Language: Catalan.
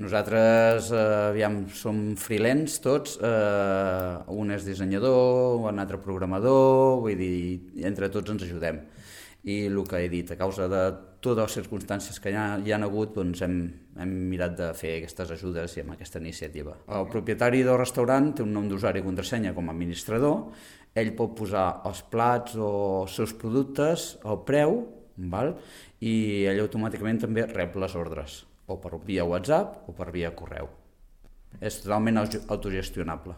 Nosaltres, som freelance tots, un és dissenyador, un altre programador, vull dir, entre tots ens ajudem. I el que he dit, a causa de totes les circumstàncies que hi han hagut, doncs hem mirat de fer aquestes ajudes i amb aquesta iniciativa. El propietari del restaurant té un nom d'usuari i contrasenya com a administrador, ell pot posar els plats o els seus productes, el preu, val? I ell automàticament també rep les ordres, o per via WhatsApp o per via correu. És totalment autogestionable.